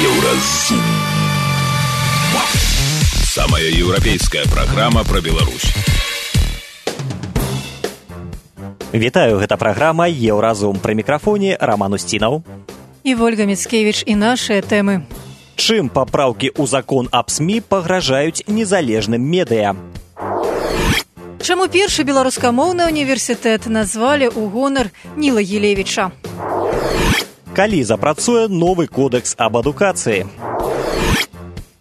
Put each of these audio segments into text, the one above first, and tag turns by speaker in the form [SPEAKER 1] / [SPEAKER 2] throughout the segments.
[SPEAKER 1] Еўразум. Самая еўрапейская праграма пра Беларусь.
[SPEAKER 2] Вітаю, гэта праграма Еўразум. Пры мікрафоне Роман Устінаў
[SPEAKER 3] і Вольга Міцкевіч і нашыя тэмы.
[SPEAKER 2] Чым папраўкі ў закон аб СМІ пагражаюць незалежным медыа?
[SPEAKER 3] Чаму першы беларускамоўны універсітэт назвалі ў гонар Ніла Гілевіча?
[SPEAKER 2] Калі запрацуе новы кодэкс аб адукацыі?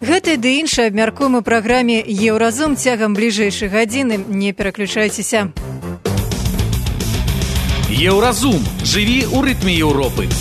[SPEAKER 3] Гэты ды іншае абмяркуем у праграме Еўразум цягам бліжэйшай гадзіны. Не пераключайцеся.
[SPEAKER 4] Еўразум. Жыві ў рытме Еўропы.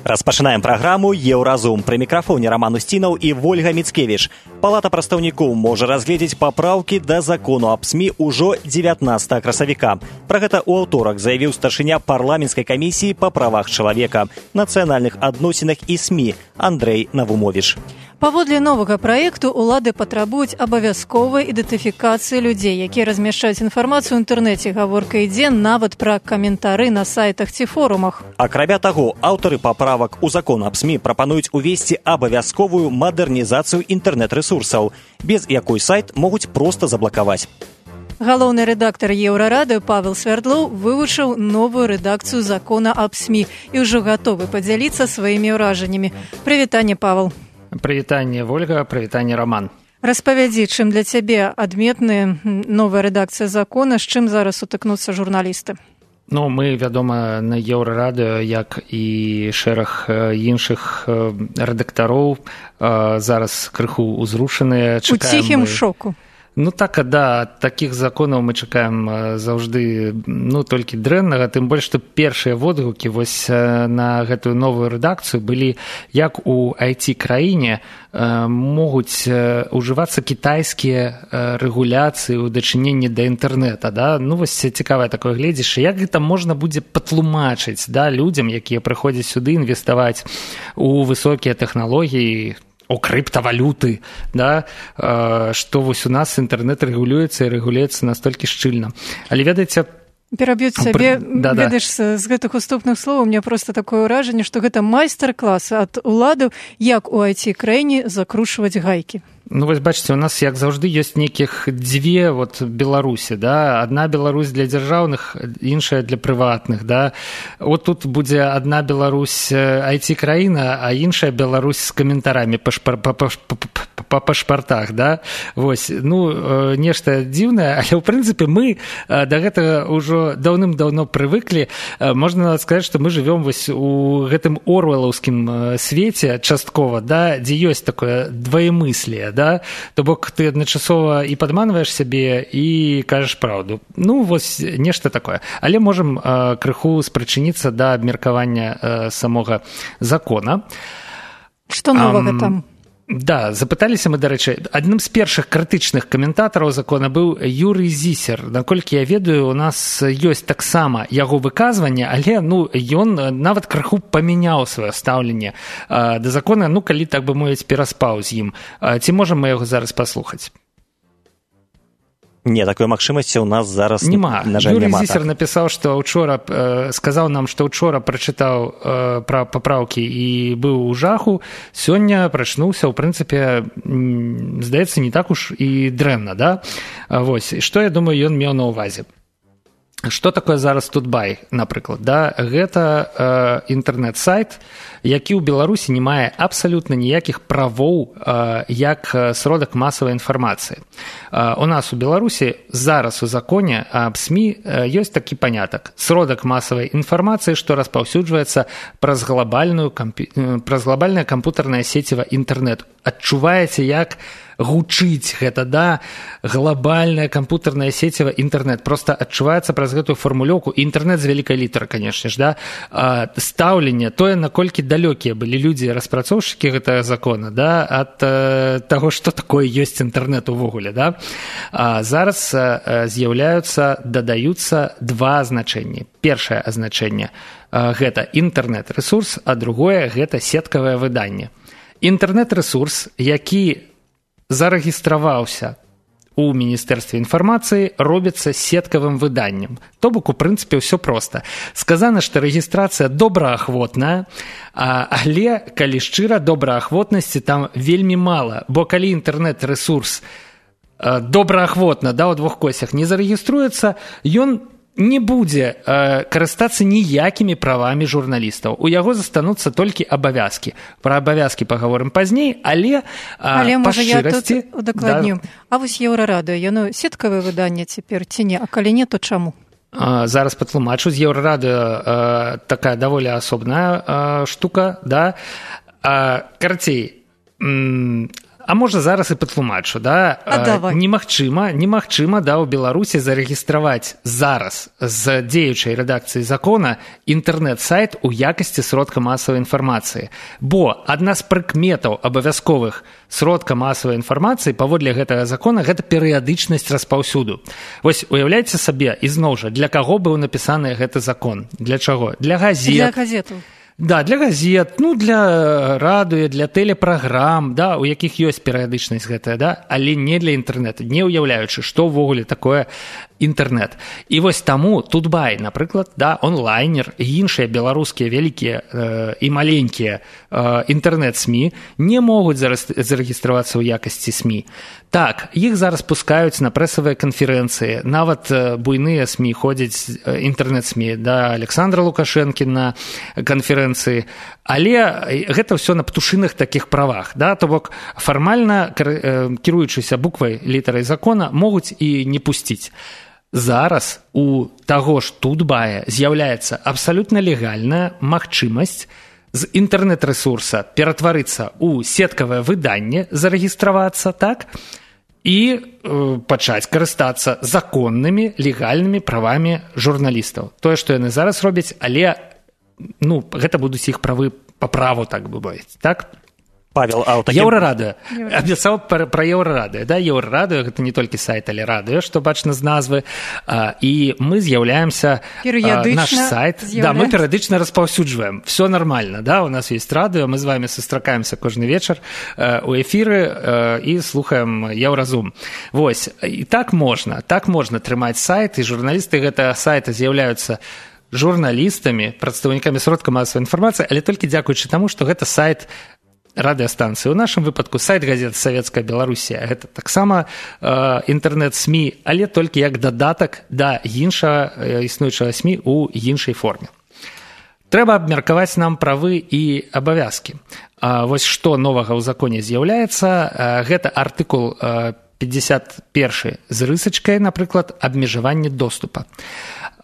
[SPEAKER 2] Распачынаем праграму Еўразум. Пры мікрафоне Роман Устінаў і Вольга Міцкевіч. Палата прадстаўнікоў можа разгледзець папраўкі да закону аб СМІ ўжо 19 красавіка. Пра гэта ў аўторак заявіў старшыня парламенцкай камісіі па правах чалавека, нацыянальных адносінах і СМІ Андрэй Навумовіч.
[SPEAKER 3] Паводле новага праекту улады патрабуюць абавязковай ідэнтыфікацыі людзей, якія размяшчаюць інфармацыю ў інтэрнэце. Гаворка ідзе нават пра каментары на сайтах ці форумах.
[SPEAKER 2] Акрамя таго, аўтары паправак у закон аб СМІ прапануюць увесці абавязковую мадэрнізацыю інтэрнэт-рэсурсаў, без якой сайт могуць проста заблакаваць.
[SPEAKER 3] Галоўны рэдактар Еўрарадыё Павел Свярдлоў вывучыў новую рэдакцыю закона аб СМІ і ўжо гатовы падзяліцца сваімі ўражаннямі. Прывітанне, Павел.
[SPEAKER 5] Прывітанне, Вольга, прывітанне, Роман.
[SPEAKER 3] Распавядзі, чым для цябе адметная новая рэдакцыя закона, з чым зараз сутыкнуцца журналісты?
[SPEAKER 5] Ну, мы, вядома, на Еўрарадыё, як і шэраг іншых рэдактароў, зараз крыху узрушаныя.
[SPEAKER 3] У ціхім шоку.
[SPEAKER 5] Ну так, да, такіх законаў мы чакаем заўжды, толькі дрэннага, тым больш, што першыя водгукі вось на гэтую новую рэдакцыю былі, як у IT-краіне могуць ужывацца кітайскія рэгуляцыі ў дачыненні да інтэрнэта, да? Вось цікавае такое гледзішча, як гэта можна будзе патлумачыць, да, людзям, якія прыходзяць сюды інвеставаць у высокія тэхналогіі, у крыптавалюты, да, што вось у нас інтэрнэт рэгулюецца і рэгулюецца настолькі шчыльна. Але ведаеце,
[SPEAKER 3] пераб'юць сабе, ведаеш, з гэтых уступных словаў, у меня проста такое ўражанне, што гэта майстар-клас ад уладаў, як у IT-краіне закручваць гайкі.
[SPEAKER 5] Вось бачыце, у нас, як заўжды, ёсць нейкіх дзве Беларусі, да? Адна Беларусь для дзяржаўных, іншая для прыватных, да? От тут будзе адна Беларусь IT-краіна, а іншая Беларусь з каментарамі па пашпартах, да? Вось, нешта дзіўнае, але, ў прынцыпе, мы да гэтага ўжо даўным-даўно прывыклі. Можна сказаць, што мы жывём вось у гэтым орвелаўскім свеце часткова, да? Дзе ёсць такое двоемыслие, да? То бок ты адначасова і падманваеш сябе і кажаш праўду. Вось нешта такое. Але можам крыху спрычыніцца да абмеркавання самога закона.
[SPEAKER 3] Што новага там?
[SPEAKER 5] Да, запыталіся мы, дарэчы, адным з першых крытычных каментатараў закона быў Юрый Зісер. Наколькі я ведаю, у нас ёсць таксама яго выказванне, але ён нават крыху памяняў сваё стаўленне да закона, калі, так бы мовіць, пераспаў з ім. Ці можам мы яго зараз паслухаць?
[SPEAKER 2] Не, такой магчымасці ў нас зараз, на жаль,
[SPEAKER 5] Юрий
[SPEAKER 2] няма.
[SPEAKER 5] Зісер напісаў, што сказаў нам, што ўчора прачытаў пра папраўкі і быў у жаху, сёння прачнуўся, ў прынцыпе, здаецца, не так уж і дрэнна, да? Вось, што, я думаю, ён меў на ўвазе. Што такое зараз Тутбай, напрыклад, да? Гэта інтэрнэт-сайт, які ў Беларусі не мае абсалютна ніякіх правоў як сродак масавай інфармацыі. У нас у Беларусі зараз у законе аб СМІ ёсць такі панятак. Сродак масавай інфармацыі, што распаўсюджваецца праз глобальнае кампутарнае сеціва інтэрнэт. Адчуваеце, як гучыць гэта, да, глобальная кампутарная сеціва інтэрнэт. Проста адчуваецца праз гэтую фармулёўку. Інтэрнэт з вялікай літары, канешне ж, да. Стаўленне, тое, наколькі далёкія былі людзі, распрацоўшчыкі гэтага закона, да, ад таго, што такое ёсць інтэрнэт увогуле, да. Зараз дадаюцца два азначэнні. Першае азначэнне гэта інтэрнэт-рэсурс, а другое гэта сеткавае выданне. Інтэрнэт-рэсурс, які зарэгістраваўся у Міністэрстве інфармацыі робіцца сеткавым выданнем. То бок, у прынцыпе, ўсё проста. Сказана, што рэгістрацыя добраахвотная, але, калі шчыра, добраахвотнасці там вельмі мала, бо калі інтэрнэт-рэсурс добраахвотна, у двух косях не зарэгіструецца, ён не будзе карыстацца ніякімі правамі журналістаў. У яго застануцца толькі абавязкі. Пра абавязкі пагаворым пазней, але па
[SPEAKER 3] можа,
[SPEAKER 5] шчырасці...
[SPEAKER 3] я тут удакладню. А вось Еўрарадыё, яно сеткавае выданне цяпер ці не? А калі не, то чаму?
[SPEAKER 5] Зараз патлумачу. З Еўрарадыё такая даволі асобная штука, да? Карацей, а можа, зараз і патлумачу, да? Немагчыма, у Беларусі зарэгістраваць зараз з дзеючай рэдакцыі закона інтэрнэт-сайт у якасці сродка масавай інфармацыі. Бо адна з прыкметаў абавязковых сродка масавай інфармацыі паводле гэтага закона гэта перыядычнасць распаўсюду. Вось уяўляйце сабе, ізноў жа, для каго быў напісаны гэты закон? Для чаго? Для газет.
[SPEAKER 3] Для газетаў.
[SPEAKER 5] Да, для газет, для радыё, для тэлепраграм, да, у якіх ёсць перыядычнасць гэтая, да, але не для інтэрнэту, не ўяўляючы, што ўвогуле такое інтэрнэт. І вось таму Тутбай, напрыклад, да, онлайнер і іншыя беларускія вялікія і маленькія інтэрнэт-СМІ не могуць зарэгістравацца ў якасці СМІ. Так, іх зараз пускаюць на прэсавыя канферэнцыі, нават буйныя СМІ ходзяць, інтэрнэт-СМІ, да Александра Лукашэнкі на канферэнцыі, але гэта ўсё на птушыных такіх правах, да, то бок фармальна кіруючыся буквай, літарай закона, могуць і не пусціць. Зараз у таго ж Тутбая з'яўляецца абсалютна легальная магчымасць з інтэрнэт-рэсурса ператварыцца ў сеткавае выданне, зарэгістравацца, так, і пачаць карыстацца законнымі, легальнымі правамі журналістаў. Тое, што яны зараз робяць, але гэта будуць іх правы па праву, так бы мовіць, так?
[SPEAKER 2] Павел, а
[SPEAKER 5] Еўрарадыё. Абяцаў пра Еўрарадыё. Да, Еўрарадыё гэта не толькі сайт, але радыё, што бачна з назвы. І мы з'яўляемся, наш сайт, да, мы перыядычна распаўсюджваем. Все нормально, да, у нас есть радыё, мы з вами сустракаемся кожны вечар у эфіры і слухаем Еўразум. Вось, і так можна трымаць сайт, і журналісты гэтага сайта з'яўляюцца журналістамі, прадстаўнікамі сродка масавай інфармацыі, але толькі дзякуючы таму, што гэта сайт радыёстанцыі. У нашым выпадку сайт газеты «Савецкая Беларусія». Гэта таксама інтэрнэт-СМІ, але толькі як дадатак да іншага існуючага СМІ ў іншай форме. Трэба абмеркаваць нам правы і абавязкі. Вось што новага ў законе з'яўляецца. Гэта артыкул 51 з рысачкай, напрыклад, абмежаванне доступа.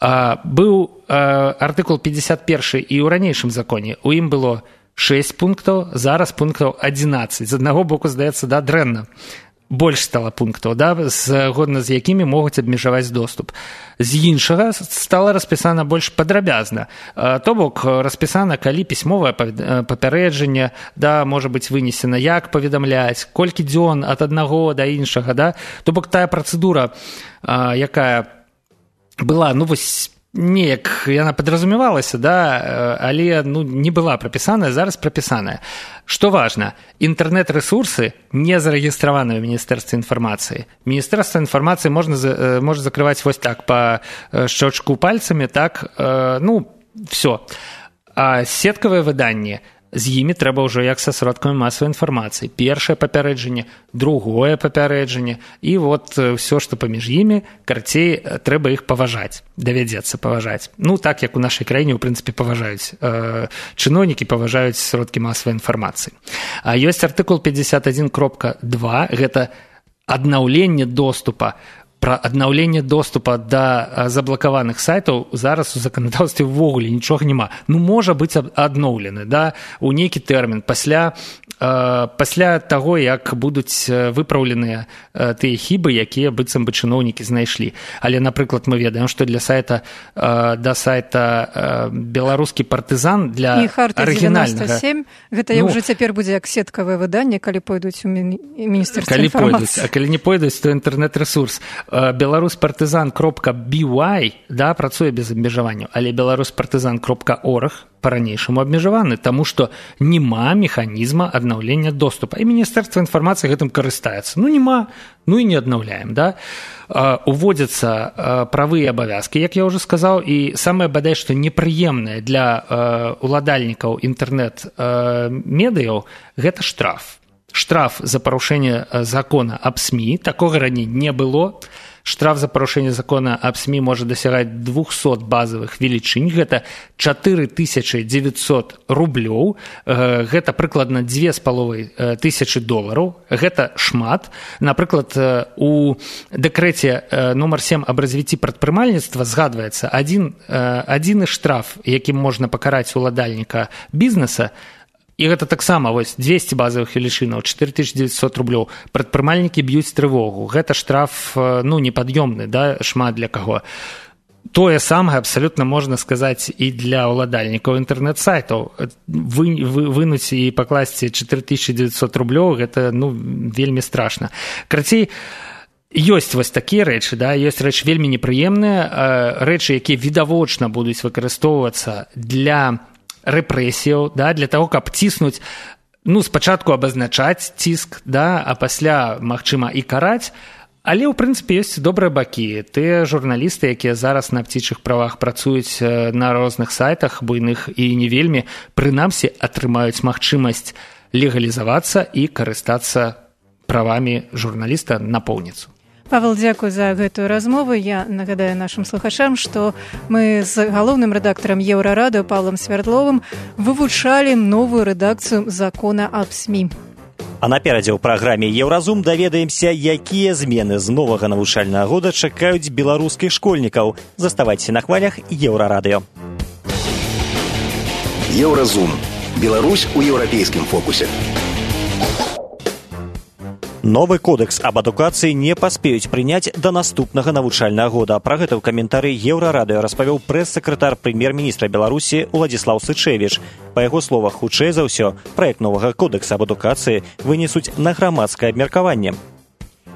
[SPEAKER 5] Быў артыкул 51 і ў ранейшым законе. У ім было 6 пунктаў, зараз пунктаў 11. З аднаго боку, здаецца, да, дрэнна. Больш стала пунктаў, да, згодна з якімі могуць абмежаваць доступ. З іншага стала распісана больш падрабязна. То бок, распісана, калі пісьмовае папярэджанне, да, можа быць вынесена, як паведамляць, колькі дзён ад аднаго да іншага, да. То бок, тая працэдура, якая была, вось, неяк яна падразумевалася, да, але не была прапісаная, зараз прапісаная. Што важна, інтэрнэт-рэсурсы не зарэгістраваны ў Міністэрстве інфармацыі. Міністэрства інфармацыі можа закрываць вось так па шчочку пальцамі, так, всё. А сеткавае выданне, з імі трэба ўжо як са сродкамі масавай інфармацыі. Першае папярэджанне, другое папярэджанне, і вот ўсё, што паміж імі, карацей, трэба іх паважаць, давядзецца паважаць. Так, як у нашай краіне, у прынцыпе, паважаюць чыноўнікі, паважаюць сродкі масавай інфармацыі. Ёсць артыкул 51.2, гэта аднаўленне доступа. Пра аднаўленне доступа да заблакаваных сайтаў зараз у заканадаўстве ўвогуле нічога няма. Можа быць адноўлены, да, у нейкі тэрмін пасля таго, як будуць выпраўленыя тыя хібы, якія быццам бы чыноўнікі знайшлі. Але, напрыклад, мы ведаем, што для сайта беларускі партызан для арыгінальнага...
[SPEAKER 3] І Харта 97, гэта ўжо цяпер будзе як сеткавае выданне, калі пойдуць у Міністэрства інфармацыі.
[SPEAKER 5] А калі не пойдуць, то інтэрнэт-рэсурс. Беларуспартызан.by, да, працуе без абмежаванняў, але беларуспартызан.org па-ранейшаму абмежаваны, таму што няма механізма аднаўлення доступа. І Міністэрства інфармацыі гэтым карыстаецца. Няма, і не аднаўляем, да. Уводзяцца правы і абавязкі, як я ўжо сказаў, і самае бадай, што непрыемнае для уладальнікаў інтэрнэт-медыяў, гэта штраф. Штраф за парушэнне закона аб СМІ, такога раней не было. Штраф за парушэнне закона аб СМІ можа дасягаць 200 базавых велічынь, гэта 4900 рублёў, гэта прыкладна $2500. Гэта шмат. Напрыклад, у дэкрэце нумар 7 аб развіцці прадпрымальніцтва згадваецца адзіны штраф, якім можна пакараць уладальніка бізнеса, і гэта таксама 200 базавых велічынаў, 4900 рублёў. Прадпрымальнікі б'юць трывогу. Гэта штраф непад'ёмны, да, шмат для каго. Тое самае абсалютна можна сказаць і для уладальнікаў інтэрнэт-сайтаў. Вынуць і пакласці 4900 рублёў, гэта вельмі страшна. Карацей, ёсць вось такія рэчы, да, ёсць рэчы вельмі непрыемныя, рэчы, якія відавочна будуць выкарыстоўвацца для рэпрэсіяў, да, для таго, каб ціснуць, спачатку абазначаць ціск, да, а пасля, магчыма, і караць. Але, ў прынцыпе, ёсць добрыя бакі. Тыя журналісты, якія зараз на птічых правах працуюць на розных сайтах, буйных і не вельмі, прынамсі атрымаюць магчымасць легалізавацца і карыстацца правамі журналіста напоўніцу.
[SPEAKER 3] Павел, дзякуй за гэтую размову. Я нагадаю нашым слухачам, што мы з галоўным рэдактарам Еўрарадыё Павлам Свярдловым вывучалі новую рэдакцыю закона аб СМІ.
[SPEAKER 2] А наперадзе ў праграме «Еўразум» даведаемся, якія змены з новага навучальнага года чакаюць беларускіх школьнікаў. Заставайцеся на хвалях Еўрарадыё.
[SPEAKER 1] Еўразум. Беларусь у еўрапейскім фокусе.
[SPEAKER 2] Новы кодэкс аб адукацыі не паспеюць прыняць да наступнага навучальнага года. Пра гэта ў каментары Еўрарадыё распавёў прэс-сакратар прэм'ер-міністра Беларусі Уладзіслаў Сычэвіч. Па яго словах, хутчэй за ўсё, праект новага кодэкса аб адукацыі вынесуць на грамадскае абмеркаванне.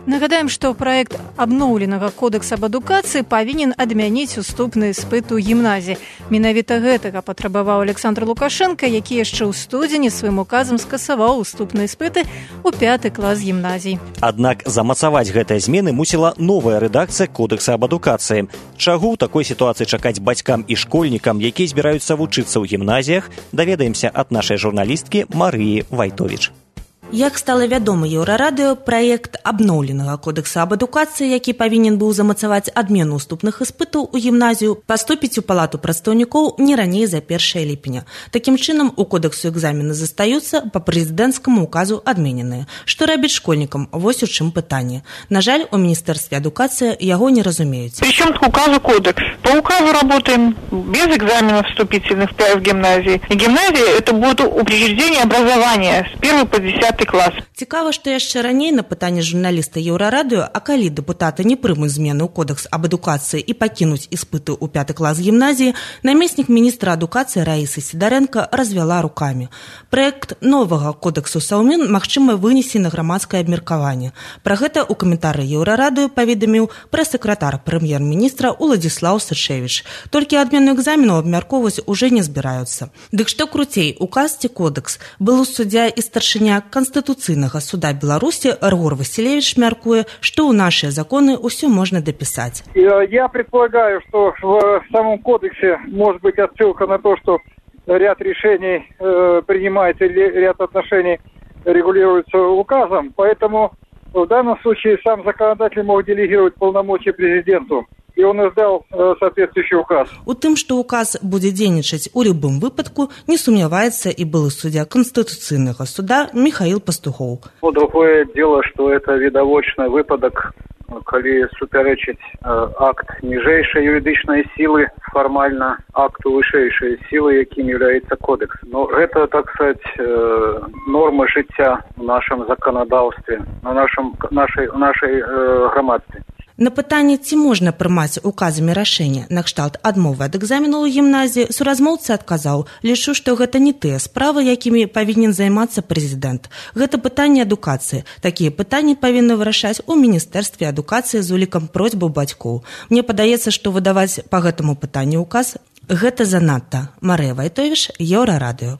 [SPEAKER 3] Нагадаем, што праект абноўленага кодекса аб адукацыі павінен адмяніць уступны іспыт у гімназіі. Менавіта гэтага патрабаваў Александр Лукашенко, які яшчэ ў студзені сваім указам скасаваў уступныя іспыты ў 5 клас гімназій.
[SPEAKER 2] Аднак замацаваць гэтыя змены мусіла новая рэдакцыя кодекса аб адукацыі. Чаго ў такой сітуацыі чакаць бацькам і школьнікам, якія збіраюцца вучыцца ў гімназіях, даведаемся ад нашай журналісткі Марыі Вайтовіч.
[SPEAKER 6] Як стала вядома Еўрарадыё, праект абноўленага кодекса аб адукацыі, які павінен быў замацаваць адмену уступных іспытаў у гімназію, паступіць у палату прадстаўнікоў не раней за 1 ліпеня. Такім чынам, у кодексу экзамены застаюцца, па прэзідэнцкаму указу адмененыя. Што рабіць школьнікам? Вось у чым пытанне. На жаль, у Міністэрстве адукацыі яго не разумеюць.
[SPEAKER 7] Причем к указу кодекс. По указу работаем без экзаменов вступительных в гимназии. И гимназия это будет учреждение образования с 1 по 10 клас.
[SPEAKER 6] Цікава, што яшчэ раней на пытанне журналіста Еўрарадыё, а калі дэпутаты не прымуць змены ў кодекс аб адукацыі і пакінуць іспыты ў 5 клас гімназіі, намеснік міністра адукацыі Раісы Сідарэнка развяла рукамі. Праект новага кодексу Саўмін магчыма вынесці на грамадскае абмеркаванне. Пра гэта ў каментары Еўрарадыё паведаміў прэс-сакратар прэм'ер-міністра Уладзіслаў Сычэвіч. Толькі адмену экзаменаў абмяркоўваць уже не збіраюцца. Дык што круцей, указ ці кодекс? Былы суддзя і старшыня Конституцыйнага суда Беларусі Ргор Василевич мяркуе, што ў нашыя законы ўсё можна дапісаць.
[SPEAKER 8] Я предполагаю, что в самом кодексе может быть отсылка на то, что ряд решений принимается или ряд отношений регулируется указом, поэтому в данном случае сам законодатель мог делегировать полномочия президенту. І он издал соответствующий указ.
[SPEAKER 6] У тым, што указ будзе дзейнічаць у любым выпадку, не сумняваецца і былы суддзя Конституцыйнага суда Михаил Пастухоў.
[SPEAKER 9] Другое дело, что это відавочны выпадак, калі супярэчыць акт ніжэйшай юридычнай сілы фармальна акту вышэйшай сілы, якім является кодекс. Но гэта, так сказать, норма жыцця в нашем законодаўстве, в нашей грамадстве.
[SPEAKER 6] На пытанне, ці можна прымаць указамі рашэння накшталт адмовы ад экзамену ў гімназіі, суразмоўца адказаў: лічу, што гэта не тыя справы, якімі павінен займацца прэзідэнт. Гэта пытанне адукацыі. Такія пытанні павінны вырашаць у Міністэрстве адукацыі з улікам просьбаў бацькоў. Мне падаецца, што выдаваць па гэтаму пытанню указ гэта занадта. Марыя Вайтовіш, Еўрарадыё.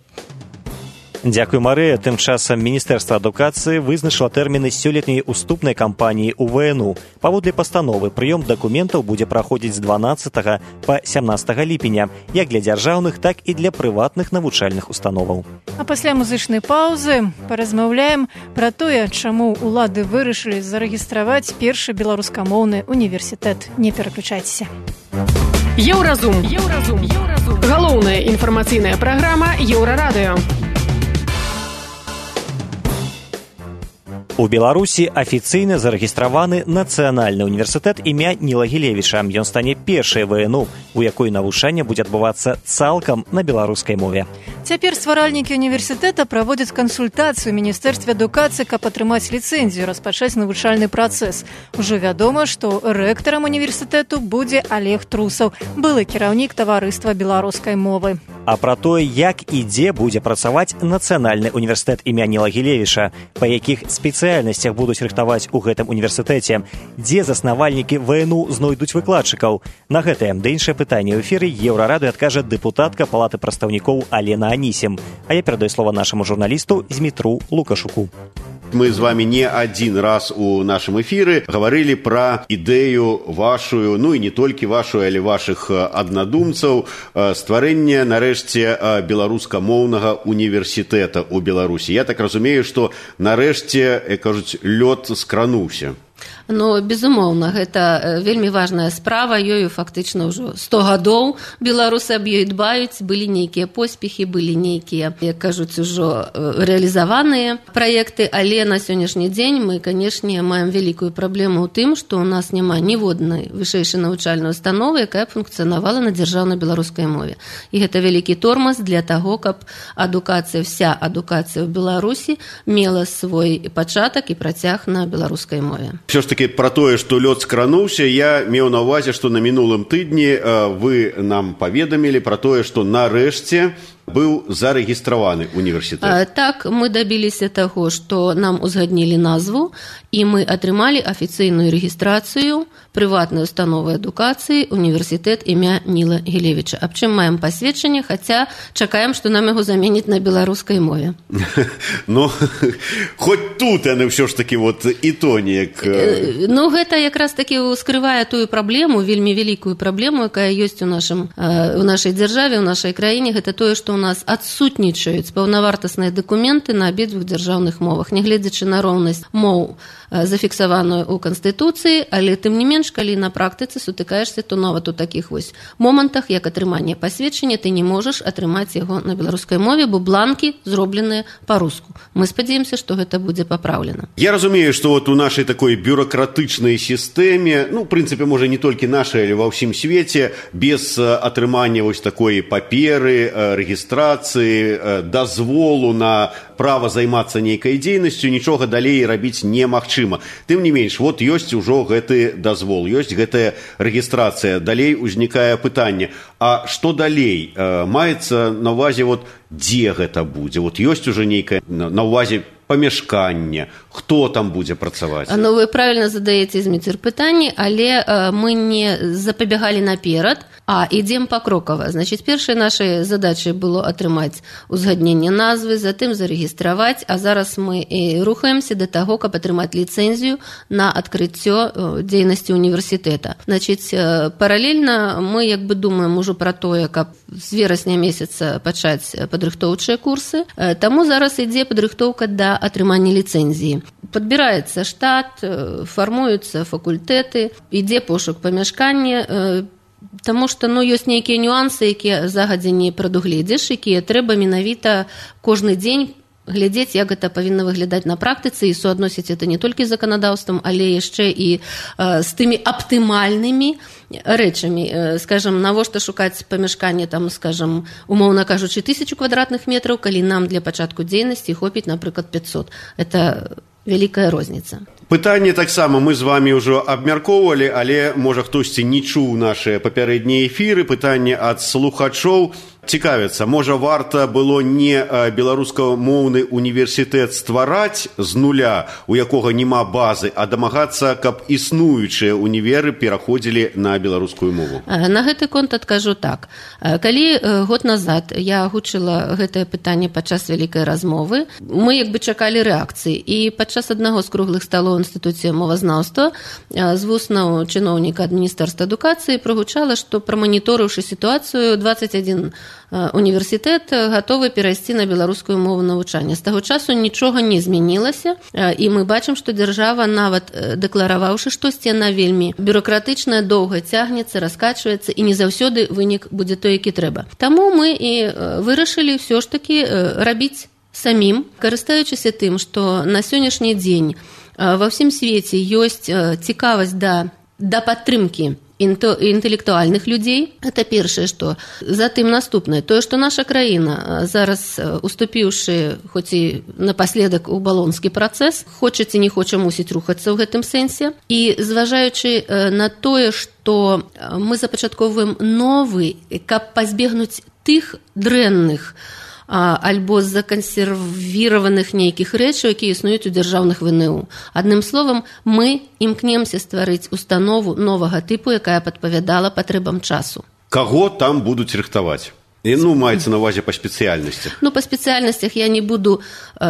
[SPEAKER 2] Дзякуй, Марыя. Тым часам Міністэрства адукацыі вызначыла тэрміны сёлетняй уступнай кампаніі ў ВНУ. Паводле пастановы, прыём дакументаў будзе праходзіць з 12 па 17 ліпеня, як для дзяржаўных, так і для прыватных навучальных установаў.
[SPEAKER 3] А пасля музычнай паўзы паразмаўляем пра тое, чаму ўлады вырашылі зарэгістраваць першы беларускамоўны універсітэт. Не пераключайцеся.
[SPEAKER 10] Еўразум. Галоўная інфармацыйная праграма Еўрарадыё.
[SPEAKER 2] У Беларусі афіцыйна зарэгістраваны Нацыянальны універсітэт імя Ніла Гілевіча. Ён стане першай ВНУ, у якой навучанне будзе адбывацца цалкам на беларускай мове.
[SPEAKER 3] Цяпер стваральнікі універсітэта праводзяць кансультацыю ў Міністэрстве адукацыі, каб атрымаць ліцэнзію, распачаць навучальны працэс. Ужо вядома, што рэктарам універсітэту будзе Олег Трусаў, былы кіраўнік таварыства беларускай мовы.
[SPEAKER 2] А пра тое, як і дзе будзе працаваць Нацыянальны універсітэт імя Ніла Гілевіча, па якіх спецыяльнасцях будуць рыхтаваць у гэтым універсітэце, дзе заснавальнікі ВНУ знойдуць выкладчыкаў. На гэтае ды іншае пытанне ў эфіры Еўрарадыё адкажа дэпутатка Палаты прадстаўнікоў Алена Анісім. А я перадаю слова нашаму журналісту Змітру Лукашуку.
[SPEAKER 11] Мы з вами не один раз у нашем эфире говорили про идею вашу, ну и не только вашу, але ваших аднадумцаў, стварэння, нарэшце, беларускамоўнага універсітэта ў Беларусі. Я так разумею, што нарэшце, кажуць, лёд скрануўся.
[SPEAKER 12] Ну, безумоўна, гэта вельмі важная справа, ёю фактычна ўжо 100 гадоў беларусы аб ёй дбаюць, былі нейкія поспехі, былі нейкія, як кажуць, ужо рэалізаваныя праекты, але на сённяшні дзень мы, канешне, маем вялікую праблему ў тым, што ў нас няма ніводнай вышэйшай навучальнай установы, якая функцыянавала на дзяржаўнай беларускай мове. І гэта вялікі тормоз для таго, каб адукацыя, вся адукацыя ў Беларусі мела свой пачатак і працяг на беларускай мове.
[SPEAKER 11] Все ж таки про тое, што лёд скрануўся, я меў на ўвазе, што на мінулым тыдні вы нам паведамілі про тое, што нарэшце быў зарэгістраваны універсітэт.
[SPEAKER 12] Так, мы дабіліся таго, што нам узгаднілі назву, і мы атрымалі афіцыйную рэгістрацыю прыватнай установы адукацыі універсітэт імя Ніла Гілевіча. Аб чым маем пасведчанне, хаця чакаем, што нам яго заменіць на беларускай мове.
[SPEAKER 11] Ну, хоць тут яны ўсё ж такі вот і то неяк...
[SPEAKER 12] Ну, гэта якраз такі скрывае тую праблему, вельмі вялікую праблему, якая ёсць у нашай дзяржаве, у нашай краіне, гэта тое, што у нас адсутнічаюць паўнавартасныя дакументы на абедзвюх дзяржаўных мовах, нягледзячы на роўнасць моў, зафіксаваную ў Канстытуцыі, але тым не менш, калі на практыцы сутыкаешся, то нават у такіх вось момантах, як атрыманне пасведчання, ты не можаш атрымаць яго на беларускай мове, бо бланкі зробленыя па-руску. Мы спадзяемся, што гэта будзе папраўлена.
[SPEAKER 11] Я разумею, што вот у нашай такой бюрократычнай сістэме, ну, в прынцыпе, можа, не толькі нашай, але ва ўсім свеце, без атрымання вось такой паперы, рэгістрацыі, дазволу на права займацца нейкай дзейнасцю, нічога далей рабіць немагчыма. Тым не менш, вот ёсць ужо гэты дазвол, ёсць гэтая рэгістрацыя. Далей узнікае пытанне, а што далей? Маецца на ўвазе, вот, дзе гэта будзе? Вот ёсць ужо нейкае на ўвазе памяшканне, хто там будзе працаваць?
[SPEAKER 12] Ну, вы правильно задаеце, Зміцер, пытанні, але мы не запабягалі наперад, а ідзем пакрокава. Значыць, першай нашай задачай было атрымаць узгадненне назвы, затым зарэгістраваць, а зараз мы рухаемся да таго, каб атрымаць ліцэнзію на адкрыццё дзейнасці універсітэта. Значыць, паралельна мы як бы думаем ужо пра тое, каб з верасня месяца пачаць падрыхтоўчыя курсы. Таму зараз ідзе падрыхтоўка да атрымання ліцэнзіі. Падбіраецца штат, фармуюцца факультэты, ідзе пошук памяшкання, таму што, ну, ёсць нейкія нюансы, якія загадзя не прадугледзіш, якія трэба менавіта кожны дзень глядзець, як гэта павінна выглядаць на практыцы, і суадносіць это не толькі з заканадаўствам, але яшчэ і з тымі аптымальнымі рэчамі. Скажам, навошта шукаць памяшканне, там, скажам, умоўна кажучы, 1000 квадратных метраў, калі нам для пачатку дзейнасці хопіць, напрыклад, 500. Это вялікая розніца.
[SPEAKER 11] Пытанне таксама мы з вами ўжо абмяркоўвалі, але, можа, хтосьці не чуў нашыя папярэднія эфіры. Пытанне ад слухачоў. Цікавіцца, можа, варта было не беларускамоўны універсітэт ствараць з нуля, у якога няма базы, а дамагацца, каб існуючыя універы пераходзілі на беларускую мову?
[SPEAKER 12] На гэты конт адкажу так. Калі год назад я агучыла гэтае пытанне падчас вялікай размовы, мы як бы чакалі рэакцыі. І падчас аднаго з круглых сталоў інстытуце мовазнаўства з вуснаў чыноўніка адміністэрства адукацыі прагучала, што праманіторыўшы сітуацыю, 21 універсітэт гатовы перайсці на беларускую мову навучання. З таго часу нічога не змянілася, і мы бачым, што дзяржава, нават дэклараваўшы штосьці, яна вельмі бюракратычная, доўга цягнецца, раскачваецца, і не заўсёды вынік будзе той, які трэба. Таму мы і вырашылі ўсё ж такі рабіць самім, карыстаючыся тым, што на сённяшні дзень ва ўсім свеце ёсць цікавасць да падтрымкі інтэлектуальных людзей. Это першае, што. Затым наступнае. Тое, што наша краіна зараз, уступіўшы, хоць і напаследак у балонскі працэс, хоча ці не хоча, мусіць рухацца ў гэтым сэнсе. І зважаючы на тое, што мы запачатковваем новы, каб пазбегнуць тых дрэнных альбо закансервіраваных нейкіх рэчаў, якія існуюць у дзяржаўных ВНУ. Адным словам, мы імкнемся стварыць установу новага тыпу, якая падпавядала патрэбам часу.
[SPEAKER 11] Каго там будуць рыхтаваць? Ну, маецца на ўвазе па спецыяльнасцях.
[SPEAKER 12] Ну, па спецыяльнасцях я не буду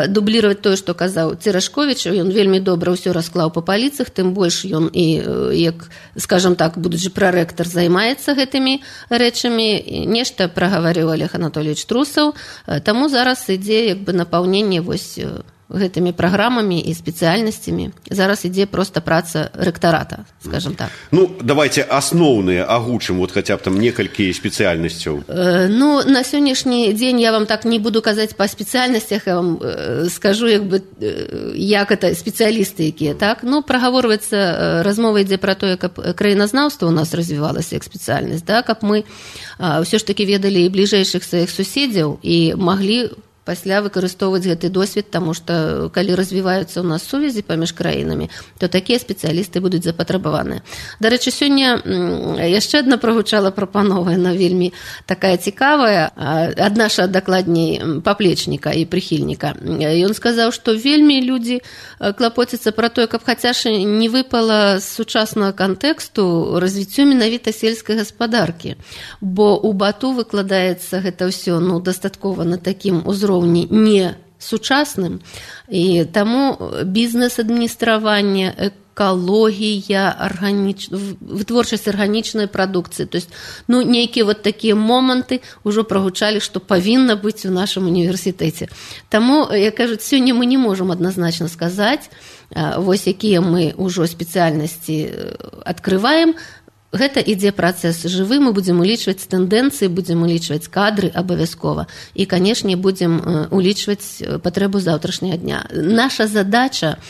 [SPEAKER 12] дублировать тое, што казаў Церашковіч. Ён вельмі добра ўсё расклаў па паліцах, тым больш ён і, як, скажам так, будучы прарэктар, займаецца гэтымі рэчамі. Нешта прагаварыў Олег Анатольевич Трусаў. Таму зараз ідзе як бы напаўненне вось гэтымі праграмамі і спецыяльнасцямі. Зараз ідзе проста праца рэктарата, скажам так.
[SPEAKER 11] Ну, давайте асноўныя агучым, вот хаця б там некалькі спецыяльнасцяў.
[SPEAKER 12] Ну, на сённяшні дзень я вам так не буду казаць па спецыяльнасцях, я вам скажу, як бы, як это спецыялісты якія, так? Ну, прагаворваецца, размова ідзе пра тое, каб краіназнаўства ў нас развівалася як спецыяльнасць, да? Каб мы ўсё ж такі ведалі і бліжэйшых сваіх суседзяў і маглі пасля выкарыстоўваць гэты досвед, таму што калі развіваюцца ў нас сувязі паміж краінамі, то такія спецыялісты будуць запатрабаваныя. Дарэчы, сёння яшчэ адна прагучала прапанова, яна вельмі такая цікавая, ад наша дакладней паплечніка і прыхільніка. Ён сказаў, што вельмі людзі клапоцяцца пра тое, каб хаця ж не выпала з сучаснага кантэксту развіццё менавіта сельскай гаспадаркі, бо ў Бату выкладаецца гэта ўсё, ну, дастаткова на такім узроўні не сучасным, і таму бізнес-адміністраванне, экалогія, вытворчасць арганічнай прадукцыі, то есть, ну, нейкія вот такія моманты ўжо прагучалі, што павінна быць у нашым універсітэце. Таму, як кажуць, сёння мы не можам адназначна сказаць, вось якія мы ўжо спецыяльнасці адкрываем. Гэта ідзе працэс жывы, мы будзем улічваць тэндэнцыі, будзем улічваць кадры абавязкова і, канешне, будзем улічваць патрэбу заўтрашняга дня. Наша задача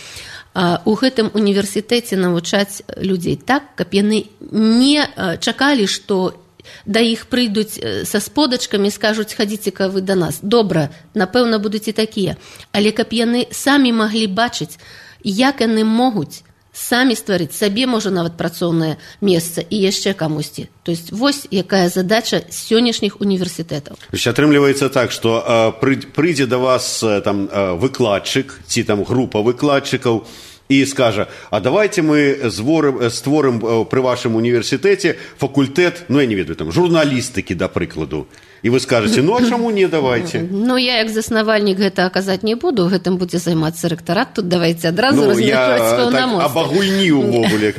[SPEAKER 12] у гэтым універсітэце навучаць людзей так, каб яны не чакалі, што да іх прыйдуць са сподачкамі і скажуць: хадзіце-ка вы да нас. Добра, напэўна, будуць і такія. Але каб яны самі маглі бачыць, як яны могуць самі стварыць сабе, можа, нават працоўнае месца і яшчэ камусьці. То есть вось якая задача сённяшніх універсітэтаў.
[SPEAKER 11] Атрымліваецца так, што прыйдзе да вас там выкладчык ці там група выкладчыкаў і скажа: а давайте мы створым пры вашым універсітэце факультэт, ну, я не ведаю, там, журналістыкі, да прыкладу. І вы скажаце: ну, а чаму не, давайте?
[SPEAKER 12] Ну, я як заснавальнік гэта аказаць не буду, гэтым будзе займацца рэктарат, тут давайте адразу размеркаваць паўнамоцтвы.
[SPEAKER 11] Я так абагульні ўвогуле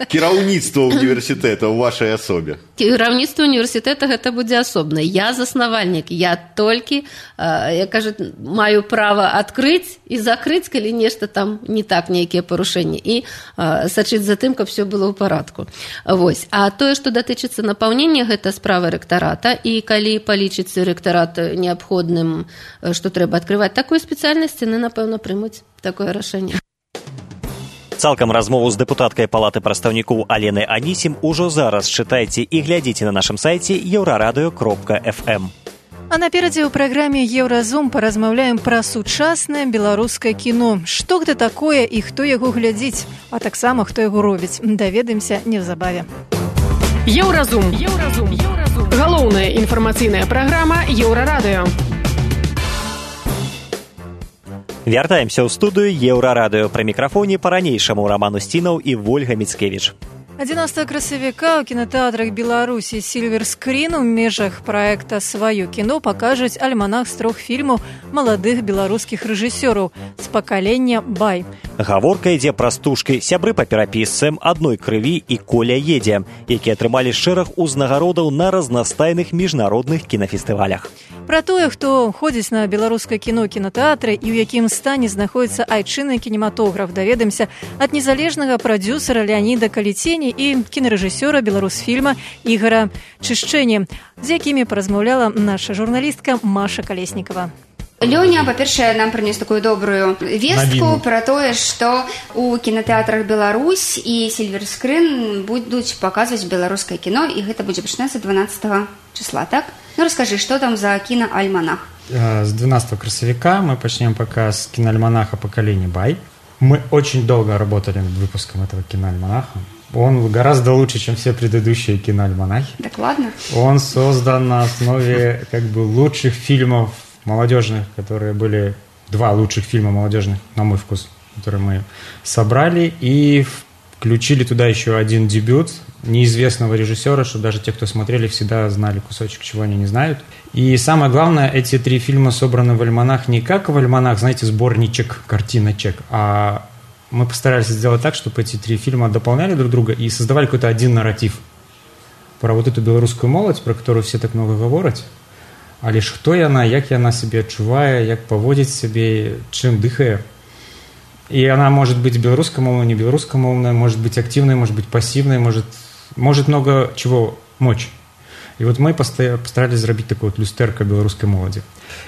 [SPEAKER 11] кіраўніцтва універсітэта ў вашай асобе.
[SPEAKER 12] Кіраўніцтва універсітэта гэта будзе асобна. Я заснавальнік, я толькі, як кажуць, маю права адкрыць і закрыць, калі нешта там не так, нейкія парушэнні, і сачыць за тым, каб все было ў парадку. Вось. А тое, што датычыцца напаўнення, гэта справа рэктарата, і калі палічыцца рэктарат неабходным, што трэба адкрываць такую спецыяльнасць, яны, напэўна, прымуць такое рашэнне.
[SPEAKER 2] Цалкам размову з дэпутаткай Палаты прадстаўнікоў Аленай Анісім ужо зараз чытайце і глядзіце на нашым сайце euraradio.fm.
[SPEAKER 3] А наперадзе ў праграме «Еўразум» паразмаўляем пра сучаснае беларускае кіно. Што гэта такое і хто яго глядзіць, а таксама хто яго робіць. Даведаемся неўзабаве.
[SPEAKER 10] Еўразум. Галоўная інфармацыйная праграма Еўрарадыё.
[SPEAKER 2] Вяртаемся ў студыю Еўрарадыё. Пры мікрафоне па-ранейшаму Раман Усцінаў і Вольга Міцкевіч.
[SPEAKER 3] 11 красавіка ў кінатэатрах Беларусі «Сільвер Скрін» у межах праекта «Сваё кіно» пакажуць альманах з 3 фільмаў маладых беларускіх рэжысёраў з пакалення «Бай».
[SPEAKER 2] Гаворка ідзе пра стужкі «Сябры па перапісцам», «Адной крыві» і «Коля едзе», якія атрымалі шэраг узнагародаў на разнастайных міжнародных кінафестывалях.
[SPEAKER 3] Пра тое, хто ходзіць на беларускае кіно кінатэатры і ў якім стане знаходзіцца айчынны кінематограф, даведаемся ад незалежнага прадзюсара Леаніда Каліцені і кінарэжысёра беларусфільма Ігара Чышчэні, з якімі паразмаўляла наша журналістка Маша Калеснікава.
[SPEAKER 13] Лёня, па-першае, нам прынёс такую добрую вестку пра тое, што ў кінатэатрах Беларусь і «Сільвер Скрін» будуць паказваць беларускае кіно, і гэта будзе пачынацца 12 числа, так? Ну, расскажи, что там за киноальманах?
[SPEAKER 14] С 12 красавика мы начнем показ киноальманаха «Поколение Бай». Мы очень долго работали над выпуском этого киноальманаха. Он гораздо лучше, чем все предыдущие киноальманахи.
[SPEAKER 13] Так ладно.
[SPEAKER 14] Он создан на основе лучших фильмов молодежных, которые были 2 лучших фильма молодежных, на мой вкус, которые мы собрали, и включили туда еще один дебют неизвестного режиссера, чтобы даже те, кто смотрели, всегда знали кусочек, чего они не знают. И самое главное, эти 3 фильма собраны в альманах не как в альманах, знаете, сборничек, картиночек, а мы постарались сделать так, чтобы эти 3 фильма дополняли друг друга и создавали какой-то один нарратив про вот эту белорусскую молодь, про которую все так много говорят. Але хто яна, як яна себе адчувае, як паводзіць себе, чым дыхае. И она может быть белорусскомовной, не белорусскомовной, может быть активной, может быть пассивной, может много чего мочь. И вот мы постарались сделать такое вот люстерко белорусской молоди.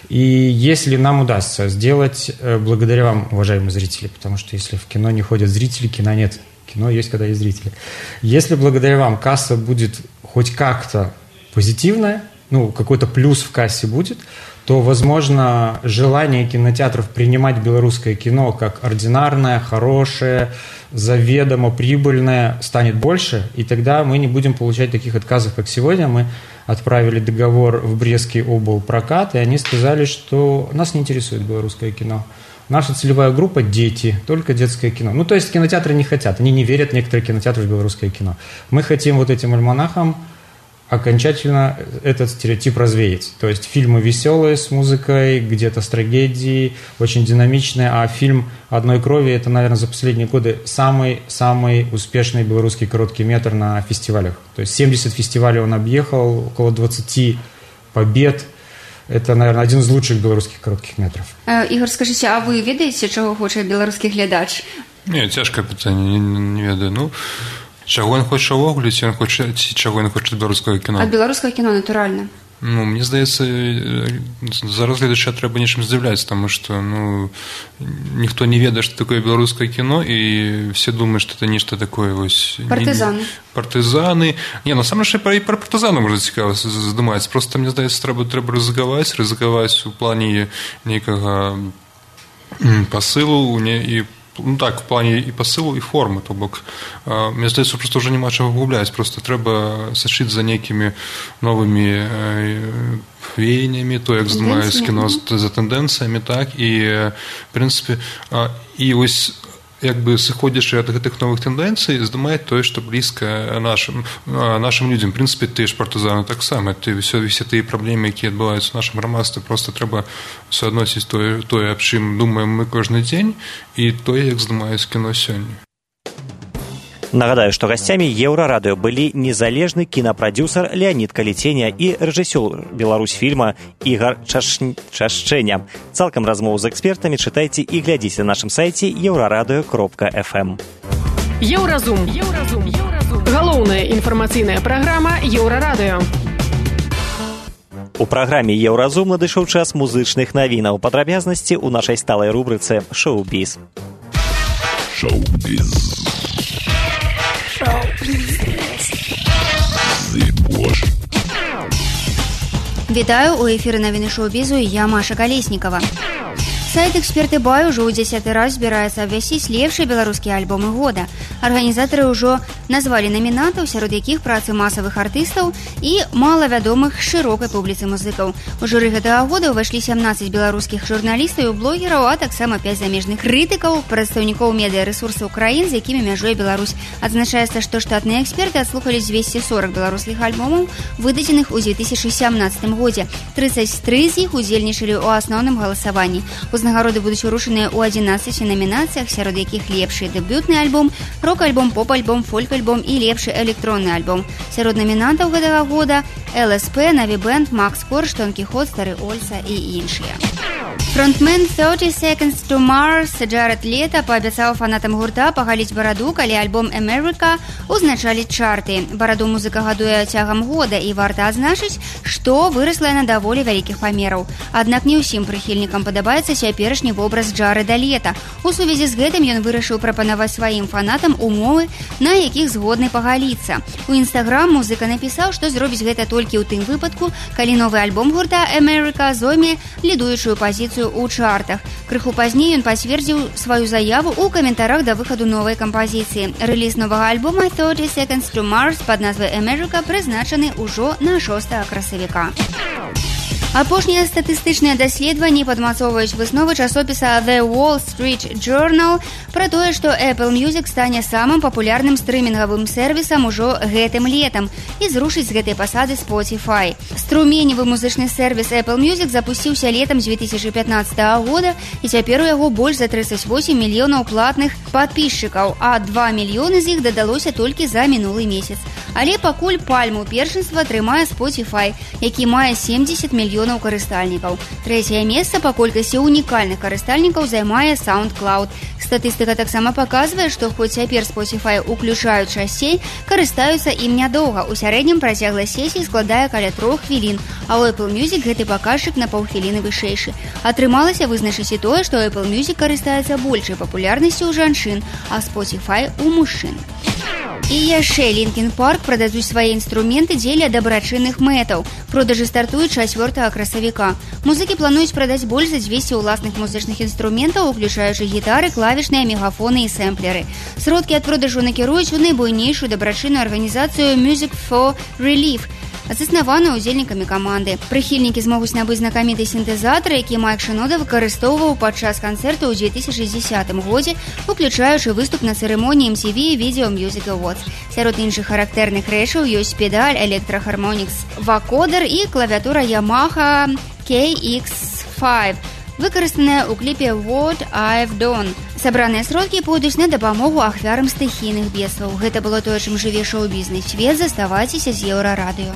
[SPEAKER 14] И если нам удастся сделать, благодаря вам, уважаемые зрители, потому что если в кино не ходят зрители, кино нет. Кино есть, когда есть зрители. Если благодаря вам касса будет хоть как-то позитивная, ну, какой-то плюс в кассе будет, то, возможно, желание кинотеатров принимать белорусское кино как ординарное, хорошее, заведомо прибыльное станет больше, и тогда мы не будем получать таких отказов, как сегодня. Мы отправили договор в Брестский облпрокат, и они сказали, что нас не интересует белорусское кино. Наша целевая группа – дети, только детское кино. Ну, то есть кинотеатры не хотят, они не верят, некоторые кинотеатры, в белорусское кино. Мы хотим вот этим альманахом окончательно этот стереотип развеять. То есть фильмы веселые с музыкой, где-то с трагедией, очень динамичные, а фильм «Одной крови» – это, наверное, за последние годы самый успешный белорусский короткий метр на фестивалях. То есть 70 фестивалей он объехал, около 20 побед. Это, наверное, один из лучших белорусских коротких метров.
[SPEAKER 13] Ігор, скажіть, а ви ведаєте, чого хоче белорусский глядач?
[SPEAKER 15] Не, цяжкае пытанне, не ведаю. Ну, чаго ён хоча ўвогуле, ці чаго ён хоча беларускага кіно?
[SPEAKER 13] Ад беларускага кіно, натуральна.
[SPEAKER 15] Ну, мне здаецца, зараз гледача трэба нечым здзіўляць, таму што, ну, ніхто не ведае, што такое беларускае кіно, і все думаюць, што это нешта такое, вось...
[SPEAKER 13] Партызаны.
[SPEAKER 15] Партызаны. Не, насамрэч, і пра партызаны можна цікава здымаць. Проста, мне здаецца, трэба рызыкаваць у плане нейкага пасылу, і ну так, в плане і пасылу, і формы, то бок, мне здаецца, просто ўжо няма чаго губляць, просто трэба сачыць за нейкімі новымі веяннямі, то, як здымаюць кіно, за тэндэнцыямі, так, і, в прынцыпе, і вось, як бы сыходзячы ад гэтых новых тэндэнцый, здымаць тое, што блізка нашым людзям. В прынцыпе, тыя ж партызаны таксама, все тыя праблемы, якія адбываюцца ў нашым грамадстве, просто трэба суадносіць тое, аб чым думаем мы кожны дзень, і тое, як здымаюць кіно сёння.
[SPEAKER 2] Нагадаю, што гасцямі Еўрарадыё былі незалежны кінапрадзюсар Леанід Каліценя і рэжысёр Беларусьфільма Ігар Чышчэня. Цалкам размову з экспертамі чытайце і глядзіце на нашым сайце euraradыё.fm.
[SPEAKER 10] Еўразум. Галоўная інфармацыйная праграма Еўрарадыё.
[SPEAKER 2] У праграме Еўразум надышоў час музычных навінаў. Падрабязнасці ў нашай сталай рубрыцы «Шоу-біз».
[SPEAKER 16] Шоу-біз.
[SPEAKER 13] Вітаю, у эфіры навіны шоу-бізу, я Маша Калеснікава. Сайт «Эксперты Бай» уже ў 10-й раз збіраецца абвясціць лепшыя беларускія альбомы года. Арганізатары ўжо назвалі намінантаў, сярод якіх працы масавых артыстаў і малавядомых шырокай публіцы музыкаў. У журы гэтага года ўвайшлі 17 беларускіх журналістаў і блогераў, а таксама 5 замежных крытыкаў, прадстаўнікоў медыярэсурсаў краін, з якімі мяжуе Беларусь. Адзначаецца, што штатныя эксперты адслухалі 240 беларускіх альбомаў, выдадзеных у 2017 годзе. 33 з іх удзельнічалі ў асноўным галасаванні. Узнагароды будуць урушаныя ў 11 номінацыях, сярод якіх лепшы дэбютны альбом, рок-альбом, поп-альбом, фольк-альбом і лепшы электронны альбом. Сярод намінантаў гэтага года ЛСП, Наві Бэнд, Макс Корж, Дон Кіхот, Стары Ольца і іншыя. Фронтмен 30 Seconds to Mars Джаред Лето паабяцаў фанатам гурта пагаліць бараду, калі альбом «America» узначаліць чарты. Бараду музыка гадуе цягам года, і варта адзначыць, што вырасла яна даволі вялікіх памераў. Аднак не ўсім прыхільнікам падабаецца цяперашні вобраз Джареда Лета. У сувязі з гэтым ён вырашыў прапанаваць сваім фанатам умовы, на якіх згодны пагаліцца. У Instagram музыка напісаў, што зробіць гэта толькі ў тым выпадку, калі новы альбом гурта «America» зойме лідуючую пазіцыю ў чартах. Крыху пазней ён пацвердзіў сваю заяву ў каментарах да выхаду новай кампазіцыі. Рэліз новага альбома 30 Seconds to Mars пад назвай «America» прызначаны ўжо на 6 красавіка. Апошнія статыстычныя даследаванні падмацоўваюць высновы часопіса The Wall Street Journal пра тое, што Apple Music стане самым папулярным стрымінгавым сервісам ужо гэтым летам і зрушыць з гэтай пасады Spotify. Струменевы музычны сервіс Apple Music запусціўся летам 2015 года, і цяпер у яго больш за 38 мільёнаў платных падпісчыкаў, а 2 мільёны з іх дадалося толькі за мінулы месяц. Але пакуль пальму першынства трымае Spotify, які мае 70 мільёнаў карыстальнікаў. Трэцяе месца па колькасці унікальных карыстальнікаў займае SoundCloud. Статыстыка таксама паказвае, што хоць цяпер Spotify уключаюць часцей, карыстаюцца ім нядоўга. У сярэднім працягласць сесіі складае каля 3 хвілін, а ў Apple Music гэты паказчык на паўхвіліны вышэйшы. Атрымалася вызначыць і тое, што Apple Music карыстаецца большай папулярнасцю ў жанчын, а Spotify у мужчын. І яшчэ Linkin Park прададуць свае інструменты дзеля дабрачынных мэтаў. Продажы стартуюць 4 красавіка. Музыкі плануюць прадаць больш за 200 ўласных музычных інструментаў, уключаючы гітары, клавішныя, мегафоны і сэмплеры. Сродкі ад продажу накіруюць у найбуйнейшую дабрачынную арганізацыю Music for Relief, заснаваную удзельнікамі каманды. Прыхільнікі змогуць набыць знакаміты сінтэзатар, які Майк Шынода выкарыстоўваў падчас канцэрта ў 2010 годзе, уключаючы выступ на цырымоніі MTV Video Music Awards. Сярод іншых характэрных рэчаў ёсць педаль Electro Harmonix вакодер і клавіатура Yamaha KX5, выкарыстаная ў кліпе What I've Done. Сабраныя сродкі пойдуць на дапамогу ахвярам стыхійных бедстваў. Гэта было тое, чым жыве шоу-бізнес свет. Заставайцеся з Еўрарадыё.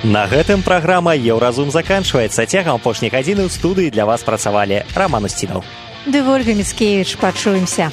[SPEAKER 2] На гэтым праграма «Еўразум» заканчваецца. Цягам апошняй гадзіны ў студыі для вас працавалі Раман Устінаў.
[SPEAKER 3] Ды Вольга Міцкевіч. Пачуемся.